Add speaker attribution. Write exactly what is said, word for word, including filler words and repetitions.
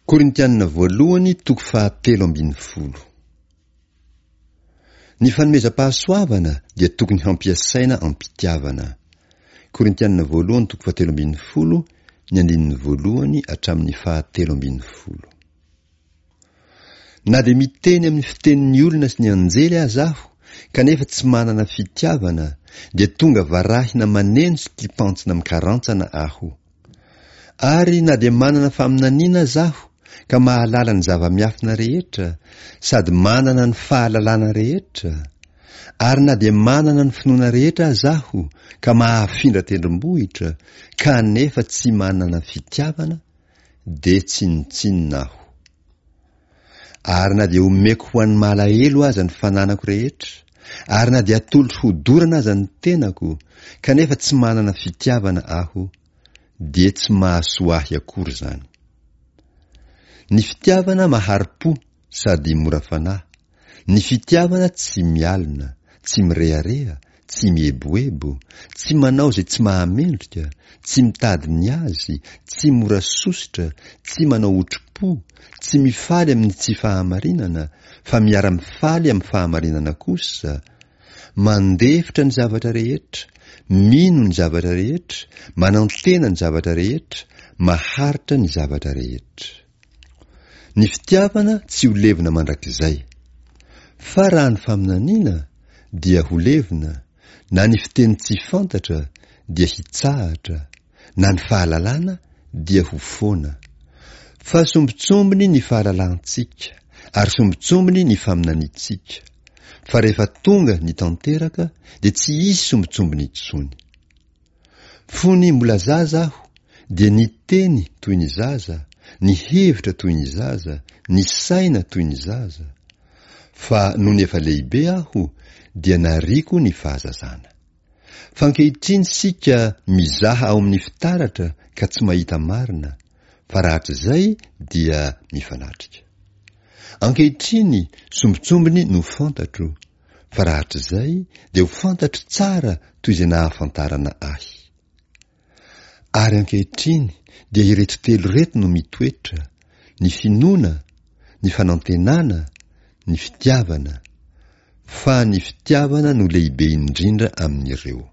Speaker 1: Korintianina voalohany toko fahatelo ambin'ny folo. Ny fanomezam-pahasoavana dia tokony hampiasaina am-pitiavana. Korintianina voalohany toko fahatelo ambin'ny folo, ny andininy voalohany hatramin'ny fahatelo ambin'ny folo. Na dia miteny amin'ny fitenin'ny olona sy ny anjely aza aho, kanefa tsy manana fitiavana, dia tonga varahina maneno sy kipantsona mikarantsana aho. Ary na dia manana faminaniana aza aho, ka mahalala ny zava-miafina rehetra, sady manana ny fahalalana rehetra, ary na dia manana ny finoana rehetra aza aho, ka mahafindra tendrombohitra, kanefa tsy manana fitiavana, dia tsinontsinona aho. Ary na dia omeko ho an'ny malahelo aza ny fananako rehetra, ary na dia atolotro hodorana aza ny tenako, kanefa tsy manana fitiavana aho, dia tsy mahasoa ahy akory izany. Ny fitiavana mahari-po sady mora fanahy, ny fitiavana tsy mialona, tsy mirehareha, tsy mieboebo, tsy manao izay tsy mahamendrika, tsy mitady ny azy, tsy mora sosotra, tsy manao otri-po, tsy mifaly amin'ny tsy fahamarinana, fa miara-mifaly amin'ny fahamarinana kosa, mandefitra ny zavatra rehetra, mino ny zavatra rehetra, manantena ny zavatra rehetra, maharitra ny zavatra rehetra. Ny fitiavana tsy ho levona mandrakizay. Fa raha ny faminaniana dia ho levona, na ny fiteny tsy fantatra dia hitsahatra, na ny fahalalana dia ho foana. Fa sombintsombiny ny fahalalantsika, ary sombintsombiny ny faminaniantsika. Fa rehefa tonga ny tanteraka dia tsy hisy sombintsombiny intsony. Fony mbola zaza aho dia niteny toy ny zaza, nihevitra toy ny zaza, nisaina toy ny zaza. Fa nony efa lehibe aho dia nariako ny fahazazana. Fa ankehitriny isika mizaha ao amin'ny fitaratra ka tsy mahita marina, fa rahatrizay dia mifanatrika. Ankehitriny sombintsombiny no fantatro, fa rahatrizay dia ho fantatro tsara toy izay nahafantarana ahy. Ary ankehitriny dia ireto telo ireto no mitoetra, ny finoana, ny fanantenana, ny fitiavana. Fa ny fitiavana no lehibe indrindra amin'ireo.